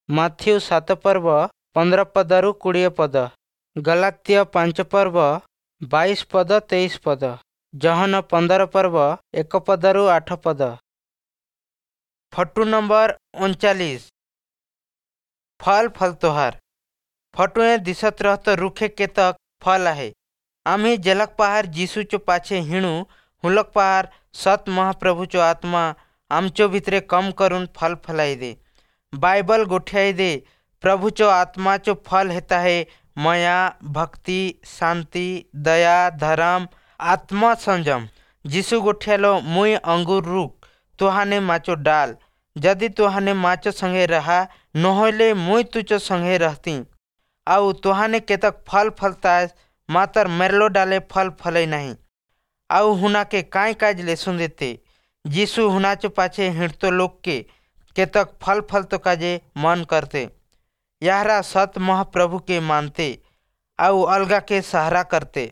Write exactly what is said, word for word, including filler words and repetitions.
Matthew ସାତ ପର୍ବ ପନ୍ଦର ପଦରୁ କୋଡ଼ିଏ ପଦ। ଗଲାତ୍ୟ ପାଞ୍ଚ ପର୍ବ ବାଇଶ ପଦ ତେଇଶ ପଦ। ଯୋହନ ପନ୍ଦର ପର୍ବ ଏକ ପଦରୁ ଆଠ ପଦ। ଫଟୁ ନମ୍ବର ଅଣଚାଳିଶ, ଫଲ ଫଲତୋହାର। ଫଟୁଏ ଦିଶत रहत रुखे केतक फल आहे। आम्ही जेलक पहार जीसूचो पाछे हिणू हुलक पहार सत महाप्रभूचो आत्मा आमचो भितरे कम करून फल फलाई दे। बायबल गोठ्याई दे, प्रभूचो आत्माचो फल हेता है मया, भक्ति, शांति, दया, धर्म, आत्मसंयम। जीसू गोठ्यालो, मुई अंगूर रुख, तुहाने माचो डाल। जदि तुहाने माचो संगे रहा नहोले मुई तुचो संगे रहती। आउ तुहाने केतक फल फलता मातर मेरलो डाले फल फले नहीं। आउ हुना के काय काज लेसुन देते। जीसू हुनाचो पाछे हिंडतो लोग के केतक फल फलतो काजे मन करते। याहरा सत महाप्रभु के मानते आउ अलगा के सहारा करते।